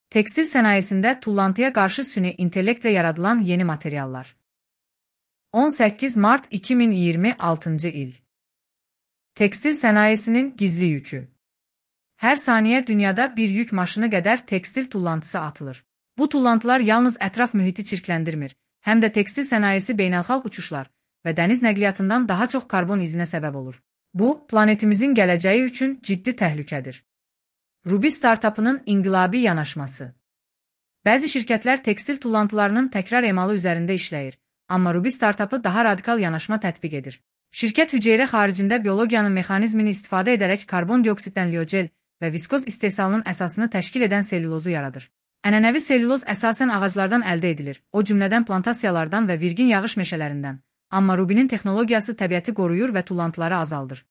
Tekstil sənayesində tullantıya qarşı süni intellektlə yaradılan yeni materiallar. 18 Mart 2026 il. Tekstil sənayesinin gizli yükü. Hər saniyə dünyada bir yük maşını qədər tekstil tullantısı atılır. Bu tullantılar yalnız ətraf mühiti çirkləndirmir, həm də tekstil sənayesi beynəlxalq uçuşlar və dəniz nəqliyyatından daha çox karbon izinə səbəb olur. Bu, planetimizin gələcəyi üçün ciddi təhlükədir. Ruby startapının inqilabi yanaşması. Bəzi şirkətlər tekstil tullantılarının təkrar emalı üzərində işləyir, amma Ruby startapı daha radikal yanaşma tətbiq edir. Şirkət hüceyrə xaricində biologiyanın mexanizmini istifadə edərək karbon dioksitdən liogel və viskoz istehsalının əsasını təşkil edən selülozu yaradır. Ənənəvi selüloz əsasən ağaclardan əldə edilir, o cümlədən plantasiyalardan və virgin yağış meşələrindən. Amma Ruby'nin texnologiyası təbiəti qoruyur və tullantıları azaldır.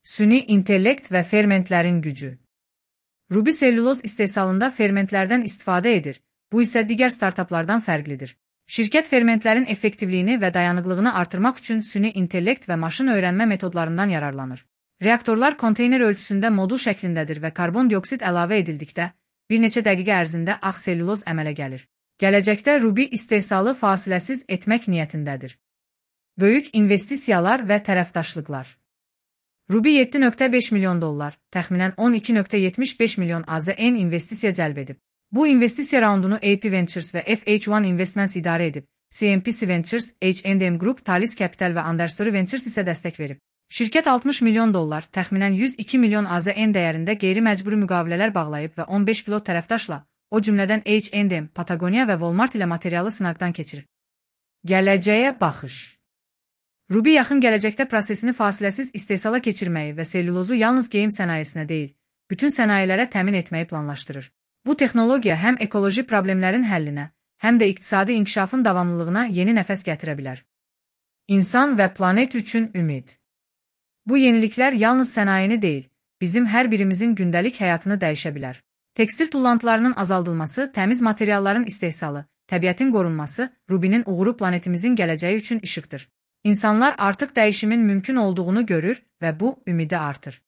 Süni intellekt və fermentlərin gücü. Ruby selüloz istehsalında fermentlərdən istifadə edir, bu isə digər startaplardan fərqlidir. Şirkət fermentlərin effektivliyini və dayanıqlığını artırmaq üçün süni intellekt və maşın öyrənmə metodlarından yararlanır. Reaktorlar konteyner ölçüsündə modul şəklindədir və karbon dioksid əlavə edildikdə, bir neçə dəqiqə ərzində ağ selüloz əmələ gəlir. Gələcəkdə Ruby istehsalı fasiləsiz etmək niyyətindədir. Böyük investisiyalar və tərəfdaşlıqlar. Ruby $7.5 milyon, təxminən 12.75 milyon AZN investisiya cəlb edib. Bu investisiya raundunu AP Ventures və FH1 Investments idarə edib. CMPC Ventures, H&M Group, Talis Capital və Understory Ventures isə dəstək verib. Şirkət $60 milyon, təxminən 102 milyon AZN dəyərində qeyri-məcburi müqavilələr bağlayıb və 15 pilot tərəfdaşla, o cümlədən H&M, Patagonia və Walmart ilə materialı sınaqdan keçirib. Gələcəyə baxış. Ruby yaxın gələcəkdə prosesini fasiləsiz istehsala keçirməyi və selülozu yalnız geyim sənayesinə deyil, bütün sənayelərə təmin etməyi planlaşdırır. Bu texnologiya həm ekoloji problemlərin həllinə, həm də iqtisadi inkişafın davamlılığına yeni nəfəs gətirə bilər. İnsan və planet üçün ümid. Bu yeniliklər yalnız sənayeni deyil, bizim hər birimizin gündəlik həyatını dəyişə bilər. Tekstil tullantılarının azaldılması, təmiz materialların istehsalı, təbiətin qorunması, Ruby'nin uğuru planetimizin gələcəyi üçün işıqdır. İnsanlar artıq dəyişimin mümkün olduğunu görür və bu ümidi artır.